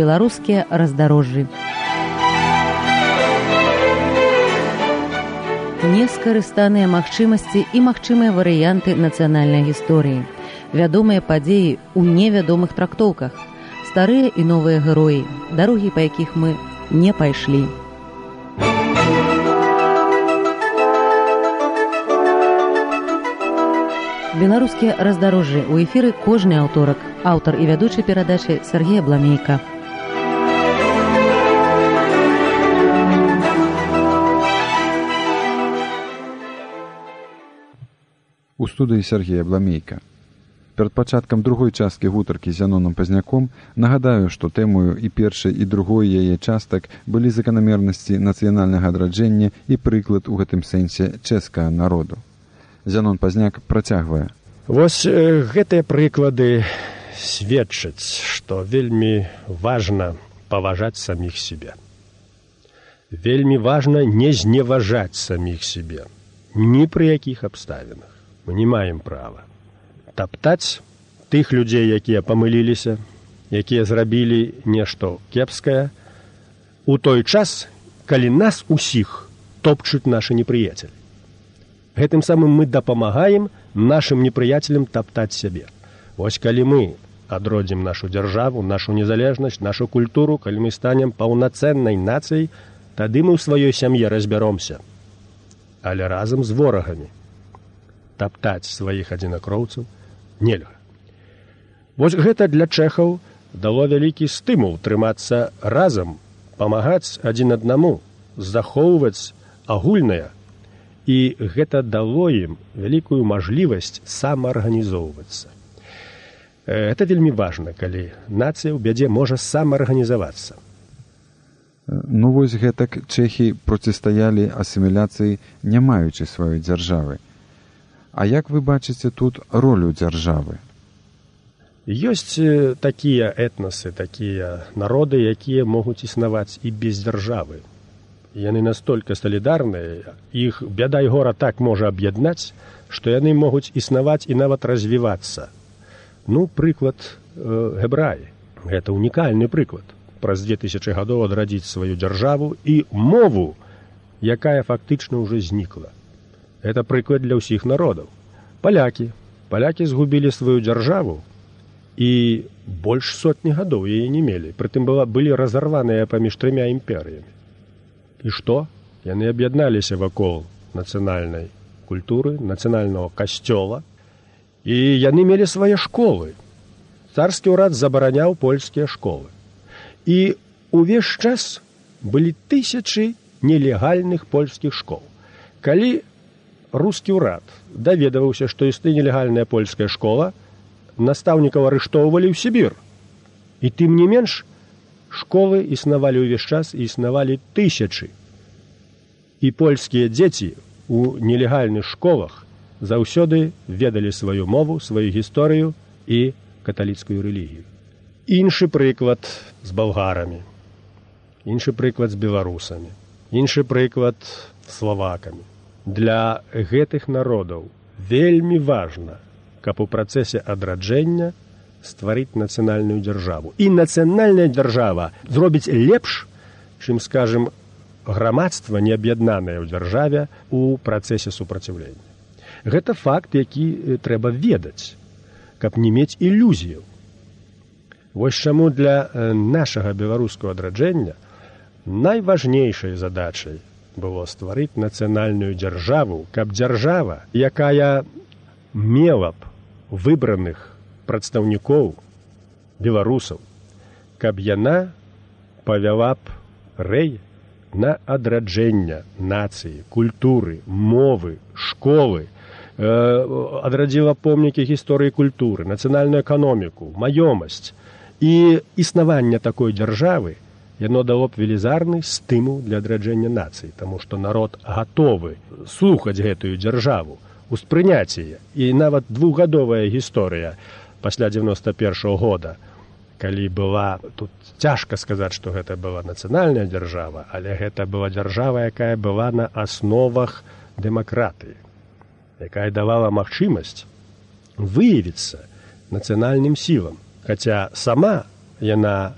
беларускія раздарожжы. Нескарыстаныя магчымасці і магчымыя варыянты нацыянальнай гісторыі. Вядомыя падзеі ў невядомых трактоўках. Старыя і новыя героі, дарогі, па якіх мы не пайшлі. Беларускія раздарожжы ў эфіры кожны аўторак. Аўтар і вядучы перадачы Сергей Абламейка. У студыі Сергей Абламейка. Перад пачаткам другой часткі гутаркі з Зяноном Пазняком нагадаю, што тэмою і першай, і другой яе частак былі заканамернасці нацыянальнага адраджэння і прыклад у гэтым сэнсе чэшскага народу. Зянон Пазняк працягвае. Вось гэтыя прыклады сведчаць, што вельмі важна паважаць саміх сябе. Вельмі важна не зневажаць саміх сябе. Ні пры якіх абставінах. Мы не маем права таптаць тых людзей, якія памыліліся, якія зрабілі нешта кепскае, у той час, калі нас усіх топчуць нашы непрыяцелі. Гэтым самым мы дапамагаем нашым непрыяцелям таптаць сябе. Вось калі мы адродзім нашу дзяржаву, нашу незалежнасць, нашу культуру, калі мы станем паўнацэннай нацыяй, тады мы ў сваёй сям'і разбяромся. Але разам з ворагамі таптаць сваіх адзінакроўцаў нельга. Вось гэта для чэхаў дало вялікі стымул трымацца разам, памагаць адзін аднаму, захоўваць агульнае. І гэта дало ім вялікую мажлівасць самаарганізоўвацца. Гэта вельмі важна, калі нацыя ў бядзе можа самаарганізавацца. Ну вось гэтак чэхі процістаялі асіміляцыі, не маючы сваёй дзяржавы. А як вы бачыце тут ролю дзяржавы? Ёсць такія этнасы, такія народы, якія могуць існаваць і без дзяржавы. Яны настолькі салідарныя, іх бяда і гора так можа аб'яднаць, што яны могуць існаваць і нават развівацца. Ну, прыклад гебраі. Гэта унікальны прыклад. Праз 2000 гадоў адрадзіць сваю дзяржаву і мову, якая фактычна ўжо знікла. Гэта прыклад для ўсіх народаў. Палякі згубілі сваю дзяржаву і больш сотні гадоў яе не мелі. Прытым былі разарваныя паміж 3 імперыямі. І што? Яны аб'ядналіся вакол нацыянальнай культуры, нацыянальнага касцёла, і яны мелі свае школы. Царскі ўрад забараняў польскія школы. І ўвесь час былі тысячы нелегальных польскіх школ. Калі рускі ўрад даведаваўся, што існуе нелегальная польская школа, настаўнікаў арыштоўвалі ў Сібір. І тым не менш, школы існавалі ўвесь час і існавалі тысячы. І польскія дзеці у нелегальных школах заўсёды ведалі сваю мову, сваю гісторыю і каталіцкую рэлігію. Іншы прыклад з балгарамі, іншы прыклад з беларусамі, іншы прыклад з славакамі. Для гэтых народаў вельмі важна, каб у працэсе адраджэння стварыць нацыянальную дзяржаву. І нацыянальная дзяржава зробіць лепш, чым, скажем, грамадства неаб'яднанае ў дзяржаве у працэсе супраціўлення. Гэта факт, які трэба ведаць, каб не мець ілюзіяў. Вось чаму для нашага беларускага адраджэння найважнейшай задачай было стварыць нацыянальную дзяржаву, каб дзяржава, якая мела б выбраных прадстаўнікоў беларусаў, каб яна павяла б рэй на адраджэнне нацыі, культуры, мовы, школы, адрадзіла помнікі гісторыі культуры, нацыянальную эканоміку, маёмасць. І існаванне такой дзяржавы яно дало б велізарны стымул для адраджэння нацыі, таму што народ гатовы слухаць гэтую дзяржаву, успрыняць яе. І нават 2-гадовая гісторыя пасля 91-го года, калі была, тут цяжка сказаць, што гэта была нацыянальная дзяржава, але гэта была дзяржава, якая была на асновах дэмакратыі, якая давала магчымасць выявіцца нацыянальным сілам, хаця сама яна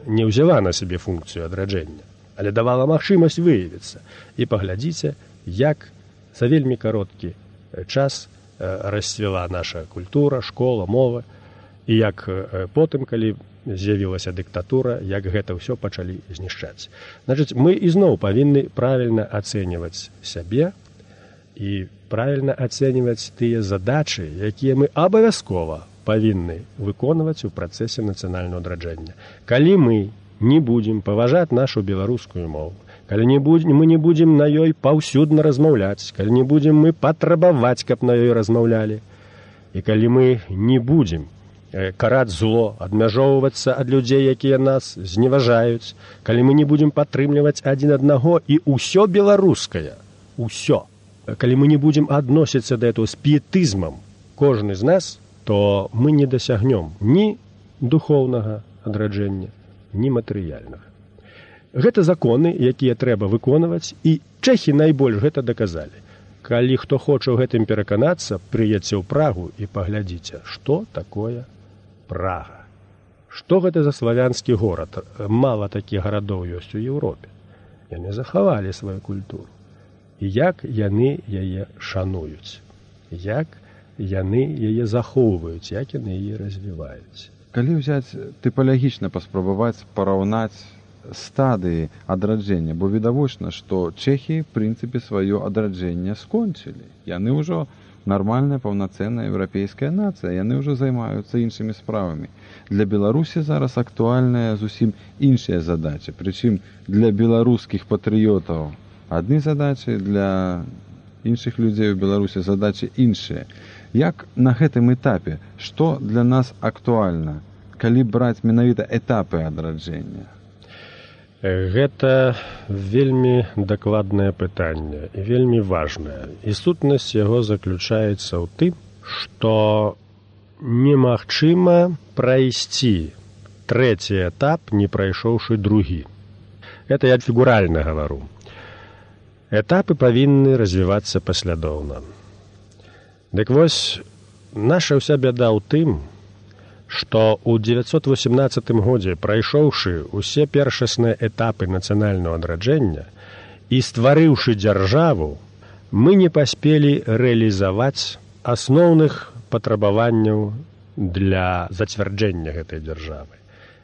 не ўзяла на сябе функцыю адраджэння, але давала магчымасць выявіцца. І паглядзіце, як за вельмі кароткі час расцвіла наша культура, школа, мова, і як потым, калі з'явілася дыктатура, як гэта ўсё пачалі знішчаць. Значыць, мы ізноў павінны правільна ацэньваць сябе і правільна ацэньваць тыя задачы, якія мы абавязкова павінны выконваць у працэсе нацыянальнага адраджэння. Калі мы не будзем паважаць нашу беларускую мову, калі мы не будзем на ёй паўсюдна размаўляць, калі не будзем мы патрабаваць, каб на ёй размаўлялі, і калі мы не будзем караць зло, адмяжоўвацца ад людзей, якія нас зневажаюць, калі мы не будзем падтрымліваць адзін аднаго і ўсё беларускае, усё, калі мы не будзем адносіцца да этого з піетызмам, кожны з нас, то мы не дасягнем ні духоўнага адраджэння, ні матэрыяльнага. Гэта законы, якія трэба выконваць, і чэхі найбольш гэта даказалі. Калі хто хоча ў гэтым пераканацца, прыедзьце ў Прагу і паглядзіце, што такое Прага. Што гэта за славянскі горад? Мала такіх гарадоў ёсць у Еўропе. Яны захавалі сваю культуру. І як яны яе шануюць, як яны яе захоўваюць, як яны яе развіваюць. Калі ўзяць тыпалагічна паспрабаваць параўнаць стадыі адраджэння, бо відавочна, што чэхі, в прынцыпе, сваё адраджэнне скончылі. Яны ўжо нармальная, паўнацэнная еўрапейская нацыя, яны ўжо займаюцца іншымі справамі. Для Беларусі зараз актуальная зусім іншая задача, прычым для беларускіх патрыётаў адны задачы, для іншых людзей у Беларусі задачы іншыя. Як на гэтым этапе, што для нас актуальна, калі браць менавіта этапы адраджэння? Гэта вельмі дакладнае пытанне і вельмі важнае. І сутнасць яго заключаецца ў тым, што немагчыма прайсці трэці этап, не прайшоўшы другі. Гэта я фігуральна гавару. Этапы павінны развівацца паслядоўна. Дык вось, наша ўся бяда ў тым, што ў 918 годзе, прайшоўшы ўсе першасныя этапы нацыянальнага адраджэння і стварыўшы дзяржаву, мы не паспелі рэалізаваць асноўных патрабаванняў для зацвярджэння гэтай дзяржавы.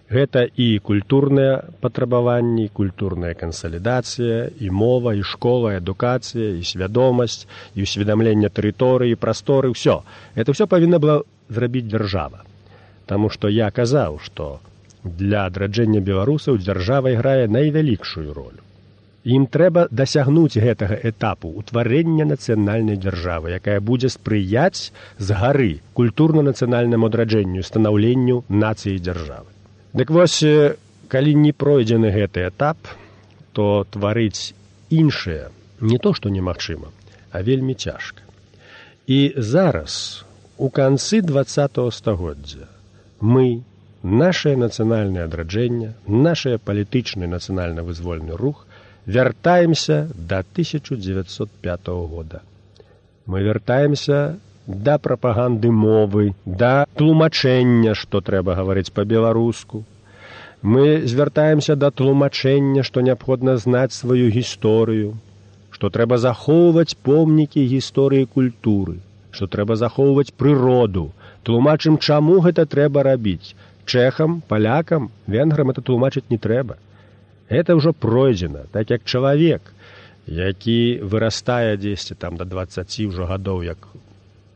Гэта і культурныя патрабаванні, культурная кансалідацыя, і мова, і школа, і адукацыя, і свядомасць, і ўсведамленне тэрыторыі, прасторы, ўсё. Гэта ўсё павінна была зрабіць дзяржава. Таму што я казаў, што для адраджэння беларусаў дзяржава іграе найвялікшую ролю. Ім трэба дасягнуць гэтага этапу ўтварэння нацыянальнай дзяржавы, якая будзе спрыяць з гары культурна-нацыянальнаму адраджэнню, станаўленню нацыі дзяржавы. Дык вось, калі не пройдзены гэты этап, то тварыць іншае не то, што немагчыма, а вельмі цяжка. І зараз, у канцы 20-го стагоддзя, мы, нашае нацыянальнае адраджэнне, нашае палітычны нацыянальна-вызвольны рух вяртаемся да 1905 года. Мы вяртаемся да прапаганды мовы, да тлумачэння, што трэба гаварыць па-беларуску. Мы звяртаемся да тлумачэння, што неабходна знаць сваю гісторыю, што трэба захоўваць помнікі гісторыі культуры, што трэба захоўваць прыроду. Тлумачым, чаму гэта трэба рабіць. Чэхам, палякам, венграм это тлумачыць не трэба. Гэта ўжо пройдзена, так як чалавек, які вырастае дзесьці там да 20 ўжо гадоў, як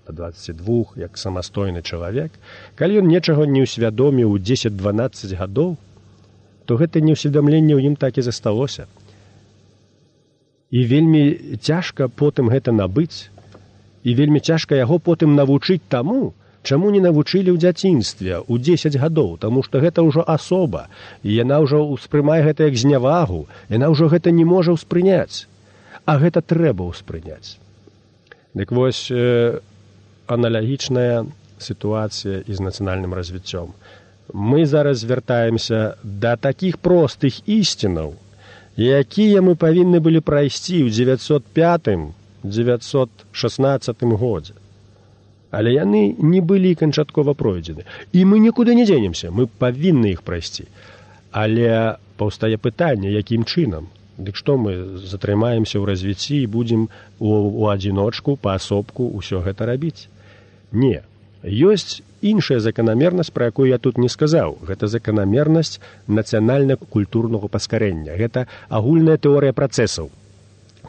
да 22, як самастойны чалавек, калі ён нечаго не ўсвядоміў у 10-12 гадоў, то гэта неўсведамленне ў ім так і засталося. І вельмі цяжка потым гэта набыць, і вельмі цяжка яго потым навучыць таму, чаму не навучылі ў дзяцінстве ў 10 гадоў, таму што гэта ўжо асоба, і яна ўжо ўспрымае гэта як знявагу, яна ўжо гэта не можа ўспрыняць, а гэта трэба ўспрыняць. Дык вось, аналагічная сітуацыя і з нацыянальным развіццём. Мы зараз звяртаемся да такіх простых ісцінаў, якія мы павінны былі прайсці ў 905-916 годзе. Але яны не былі канчаткова пройдзены. І мы нікуды не дзенемся, мы павінны іх прайсці. Але паўстае пытанне, якім чынам? Дык што мы затрымаемся ў развіцці і будзем у адзіночку, паасобку ўсё гэта рабіць? Не. Ёсць іншая заканамернасць, пра якую я тут не сказаў. Гэта заканамернасць нацыянальна-культурнага паскарэння. Гэта агульная тэорыя працэсаў.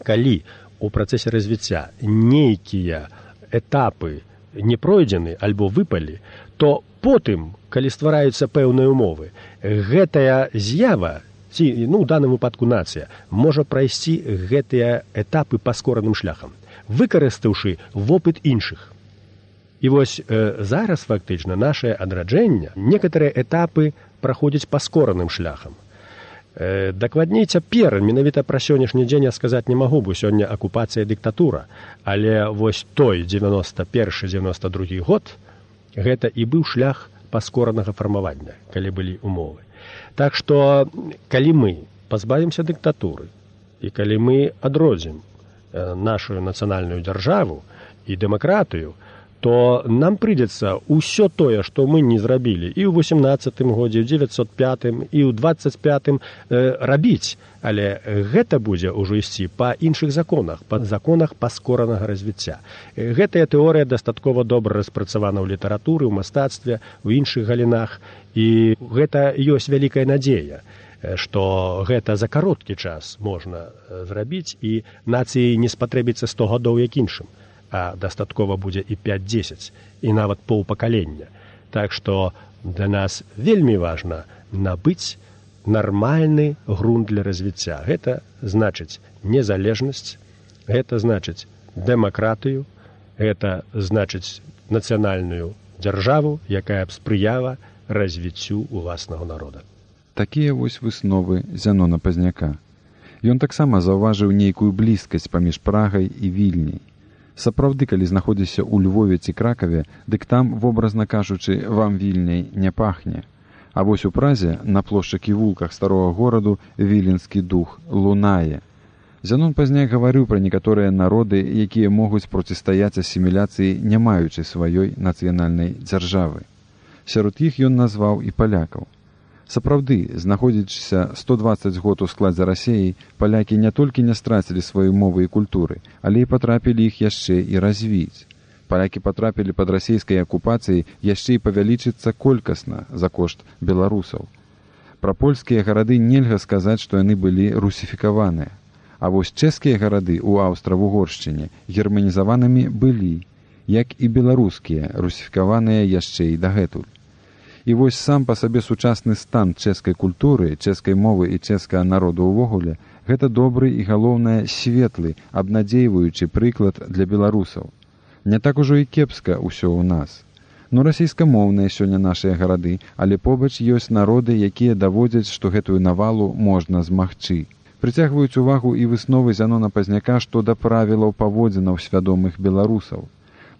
Калі у працэсе развіцця нейкія этапы не пройдзены альбо выпалі, то потым, калі ствараюцца пэўныя ўмовы, гэтая з'ява, ці, у даным выпадку нацыя, можа прайсці гэтыя этапы паскораным шляхам, выкарыстаўшы вопыт іншых. І вось зараз фактычна нашае адраджэнне некаторыя этапы праходзяць паскораным шляхам. Дакладней цяпер, менавіта пра сённяшні дзень я сказаць не магу, бо сёння акупацыя дыктатура, але вось той 91-92 год гэта і быў шлях паскоранага фармавання, калі былі ўмовы. Так што, калі мы пазбавімся дыктатуры і калі мы адродзім нашу нацыянальную дзяржаву і дэмакратыю, то нам прыйдзецца ўсё тое, што мы не зрабілі і ў 18-м годзе, і ў 905-м, і ў 25-м рабіць. Але гэта будзе ўжо ісці па іншых законах, па законах паскоранага развіцця. Гэтая тэорыя дастаткова добра распрацавана ў літаратуры, ў мастацтве, у іншых галінах. І гэта ёсць вялікая надзея, што гэта за кароткі час можна зрабіць, і нацыі не спатрэбіцца 100 гадоў як іншым. А дастаткова будзе і 5-10, і нават паўпакалення. Так што для нас вельмі важна набыць нармальны грунт для развіцця. Гэта значыць незалежнасць, гэта значыць дэмакратыю, гэта значыць нацыянальную дзяржаву, якая б спрыяла развіццю уласнага народа. Такія вось высновы Зянона Пазняка. Ён таксама заўважыў нейкую блізкасць паміж Прагай і Вільняй. Сапраўды, калі знаходзіся ў Львове ці Кракаве, дык там, вобразна кажучы, вам Вільняй не пахне. А вось у Празе, на плошчах і вулках старога гораду, віленскі дух лунае. Зянон Пазняк гаварыў пра некаторыя народы, якія могуць процістаяць асіміляцыі, не маючы сваёй нацыянальнай дзяржавы. Сярод іх ён назваў і палякаў. Сапраўды, знаходзячыся 120 год у складзе Расіі, палякі не толькі не страцілі свае мовы і культуры, але і патрапілі іх яшчэ і развіць. Палякі патрапілі пад расійскай акупацыяй яшчэ і павялічыцца колькасна за кошт беларусаў. Пра польскія гарады нельга сказаць, што яны былі русіфікаваныя. А вось чэшскія гарады ў Аўстра-Вугоршчыне германізаванымі былі, як і беларускія, русіфікаваныя яшчэ і дагэтуль. І вось сам па сабе сучасны стан чэшскай культуры, чэшскай мовы і чэшскага народу ўвогуле – гэта добры і, галоўнае, светлы, абнадзейваючы прыклад для беларусаў. Не так ужо і кепска ўсё ў нас. Расійскамоўныя сёння нашыя гарады, але побач ёсць народы, якія даводзяць, што гэтую навалу можна змагчы. Прыцягваюць увагу і высновы Зянона Пазняка, што да правілаў паводзінаў свядомых беларусаў.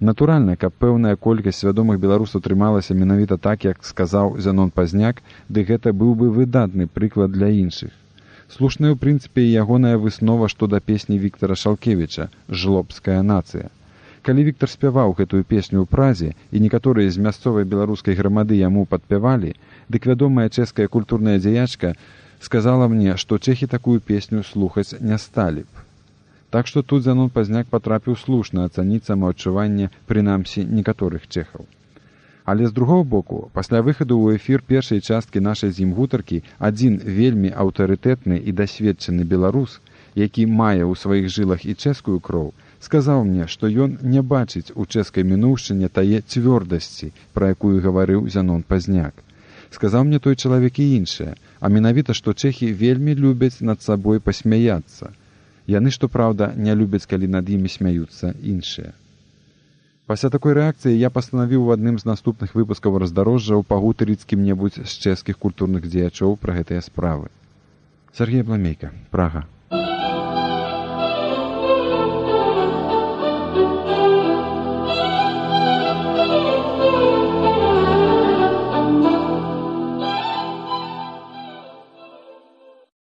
Натуральна, каб пэўная колькасць свядомых беларусаў трымалася менавіта так, як сказаў Зянон Пазняк, ды гэта быў бы выдатны прыклад для іншых. Слушная ў прынцыпе і ягоная выснова што да песні Віктара Шалкевіча «Жлобская нацыя». Калі Віктар спяваў гэтую песню ў Празе, і некаторыя з мясцовай беларускай грамады яму падпявалі, дык вядомая чэшская культурная дзеячка сказала мне, што чэхі такую песню слухаць не сталі б. Так што тут Зянон Пазняк патрапіў слушна ацаніць самаадчуванне, прынамсі, некаторых чэхаў. Але з другого боку, пасля выхаду ў эфір першай часткі нашай з ім гутаркі, адзін вельмі аўтарытэтны і дасведчаны беларус, які мае ў сваіх жылах і чэшскую кроў, сказаў мне, што ён не бачыць у чэшскай мінуўшчыне тае цвёрдасці, пра якую гаварыў Зянон Пазняк. Сказаў мне той чалавек і іншае, а менавіта, што чэхі вельмі любяць над сабой пасмяяцца. Яны, што праўда, не любяць, калі над імі смяюцца іншыя. Пасля такой рэакцыі я пастанавіў у адным з наступных выпускаў раздарожжаў пагутарыць з кім-небудзь з чэшскіх культурных дзеячоў пра гэтыя справы. Сергей Абламейка, Прага.